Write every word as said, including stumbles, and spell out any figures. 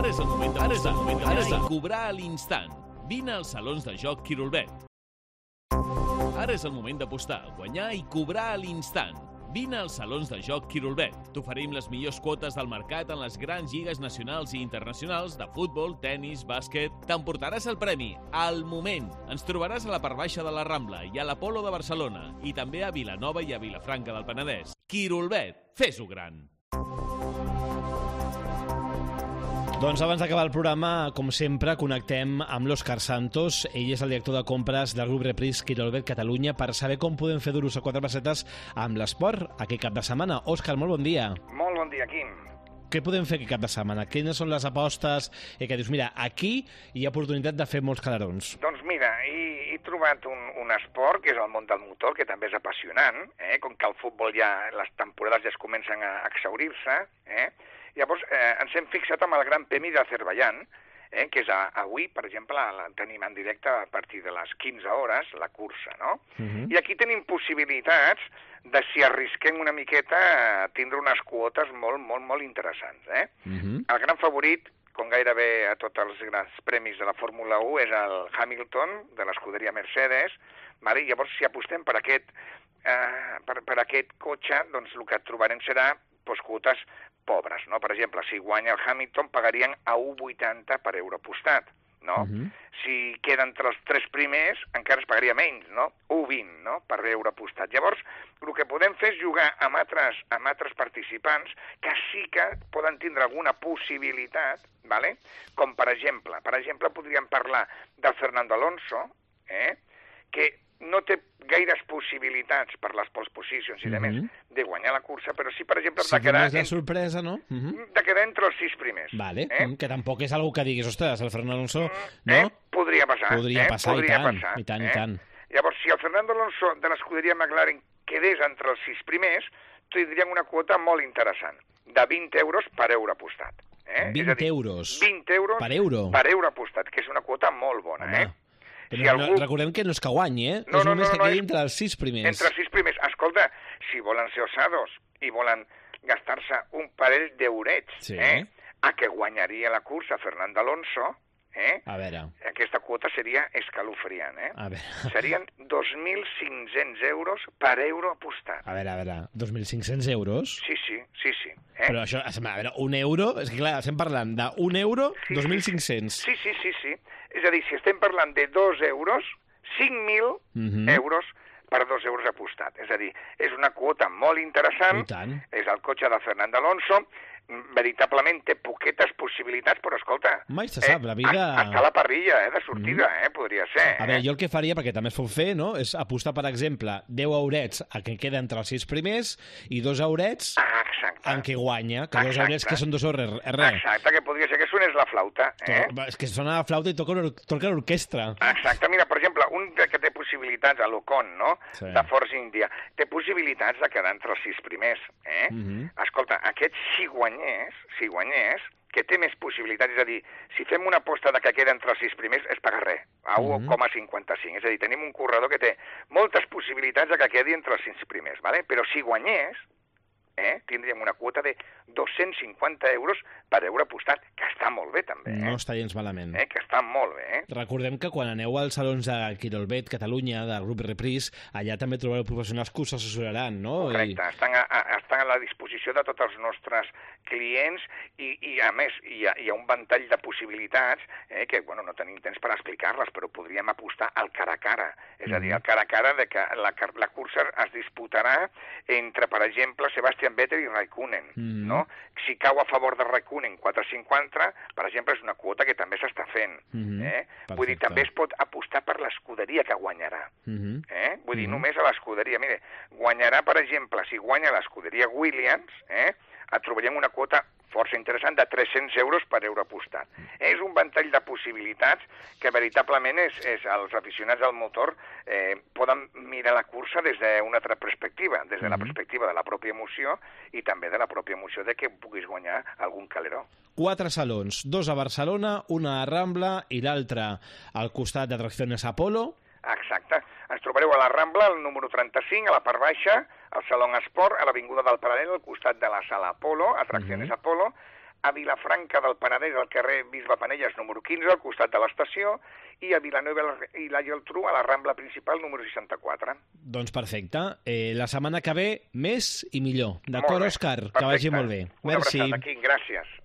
Ara és el moment de posar, ara és el cobrar a l'instant. Vine als salons de joc Quirolbet. Ara és el moment d'apostar, guanyar i cobrar a l'instant. Vine als salons de joc Quirolbet. T'oferim les millors quotes del mercat en les grans lligues nacionals i internacionals de futbol, tennis, bàsquet. T'emportaràs el premi al moment. Ens trobaràs a la part baixa de la Rambla i a l'Apolo de Barcelona i també a Vilanova i a Vilafranca del Penedès. Quirolbet, fes-ho gran. Doncs abans d'acabar el programa, com sempre, connectem amb l'Òscar Santos. Ell és el director de compres del grup Repris Quirolbet Catalunya per saber com podem fer duros a quatre pessetes amb l'esport aquest cap de setmana. Òscar, molt bon dia. Molt bon dia, Quim. Què podem fer aquest cap de setmana? Quines són les apostes? I que dius, mira, aquí hi ha oportunitat de fer molts calarons. Doncs mira, he, he trobat un, un esport que és el món del motor, que també és apassionant, eh? Com que el futbol ja, les temporades ja es comencen a exhaurir-se, eh? Llavors, eh, ens hem fixat amb el Gran Premi d'Azerbaidjan, eh, que és a, avui, per exemple, la tenim en directe a partir de les quinze hores, la cursa, no? Uh-huh. I aquí tenim possibilitats de, si arrisquem una miqueta, tindre unes quotes molt, molt, molt interessants, eh? Uh-huh. El gran favorit, com gairebé a tots els grans premis de la Fórmula u, és el Hamilton, de l'escuderia Mercedes, vale? Llavors, si apostem per aquest, eh, per, per aquest cotxe, doncs el que trobarem serà doncs, quotes pobres, no? Per exemple, si guanya el Hamilton pagarien a un coma vuitanta per euro apostat, no? Uh-huh. Si queda entre els tres primers encara es pagaria menys, no? un coma vint, no? Per euro apostat. Llavors, el que podem fer és jugar amb altres, amb altres participants que sí que poden tindre alguna possibilitat, ¿vale? Com per exemple, per exemple podríem parlar del Fernando Alonso, eh? Que no té gaires possibilitats per les pole positions i de més uh-huh. de guanyar la cursa, però sí, per exemple, sí, de quedar... és la sorpresa, no? Uh-huh. De quedar entre els sis primers. Vale, eh? que tampoc és algo que diguis, ostres, el Fernando Alonso... Mm, no? Eh? Podria passar. Podria eh? passar, Podria i tant, passar, i tant, eh? i tant. Llavors, si el Fernando Alonso de l'escuderia McLaren quedés entre els sis primers, tindrien una quota molt interessant, de vint euros per euro apostat. Eh? vint és a dir, euros? vint euros per euro? Per euro apostat, que és una quota molt bona, Home. eh? Però si no, algú... recordem que no és que guanyi, eh? No, és no, només no, que no, quedi és... entre els sis primers. Entre els sis primers. Escolta, si volen ser osados i volen gastar-se un parell d'eurets, sí. eh? A que guanyaria la cursa Fernando Alonso, eh? A veure... Aquesta quota seria escalofriant, eh? A veure... Serien dos mil cinc-cents euros per euro apostat. A veure, a veure, dos mil cinc-cents euros? Sí, sí, sí, sí. Eh? Però això, a veure, un euro... És que clar, estem parlant d'un euro, sí, dos mil cinc-cents. Sí, sí, sí, sí. És a dir, si estem parlant de dos euros, cinc mil uh-huh. euros per dos euros apostat. És a dir, és una quota molt interessant, és el cotxe de Fernando Alonso, veritablement té poquetes possibilitats, però escolta... Mai se sap, eh, la vida... Està a la parrilla, eh, de sortida, mm. eh, podria ser. A veure, jo el que faria, perquè també es pot fer, no?, és apostar, per exemple, deu eurets a que queda entre els sis primers i dos eurets ah, en què guanya, que dos eurets que són dos euros, res. Exacte, que podria ser que sonés la flauta. Eh? És que sona la flauta i toca, toca l'orquestra. Exacte, mira, per exemple, un que té possibilitats, a l'Ocon, no?, sí. de Force India, té possibilitats de quedar entre els sis primers, eh? Mm-hmm. Escolta, aquest si guanyés, si guanyés, que té més possibilitats, és a dir, si fem una aposta de que queda entre els sis primers, es paga res, a un coma cinquanta-cinc. És a dir, tenim un corredor que té moltes possibilitats de que quedi entre els sis primers, ¿vale? Però si guanyés, eh, tindríem una quota de dos-cents cinquanta euros per euro apostat, que està molt bé, també. Eh? No està gens malament. Eh, que està molt bé, eh? Recordem que quan aneu als salons de Quirolbet Catalunya, del grup Repris, allà també trobareu professionals que us assessoraran, no? Correcte, I... estan, a, a, estan a la disposició de tots els nostres clients i, i a més, hi ha, hi ha un ventall de possibilitats eh, que, bueno, no tenim temps per explicar-les, però podríem apostar al cara a cara. És mm. a dir, al cara a cara de que la, la cursa es disputarà entre, per exemple, Sebastian Vettel i Raikkonen, mm. no? Si cau a favor de Raikkonen quatre coma cinquanta, per exemple, és una quota que també s'està fent. Mm-hmm. eh? Vull dir, també es pot apostar per l'escuderia que guanyarà. Mm-hmm. eh? Vull dir, mm-hmm. només a l'escuderia. Mire, guanyarà, per exemple, si guanya l'escuderia Williams, eh? et trobaríem una quota força interessant de tres-cents euros per euro apostat. És un ventall de possibilitats que veritablement és, és els aficionats al motor eh, poden mirar la cursa des d'una altra perspectiva, des de la perspectiva de la pròpia emoció i també de la pròpia emoció de que puguis guanyar algun caleró. Quatre salons, dos a Barcelona, una a Rambla i l'altre al costat d'Atracciones Apolo. Exacte. Ens trobareu a la Rambla, al número trenta-cinc, a la part baixa, al Saló Esport, a l'Avinguda del Paral·lel, al costat de la Sala Apolo, Atracciones uh-huh. Apolo. a Vilafranca del Penedès, al carrer Bisbe Penelles, número quinze, al costat de l'estació, i a Vilanova i la Geltrú, a la Rambla Principal, número seixanta-quatre. Doncs perfecte. Eh, la setmana que ve, més i millor. D'acord, Òscar? Que vagi molt bé. Una Merci. abraçada aquí, gràcies.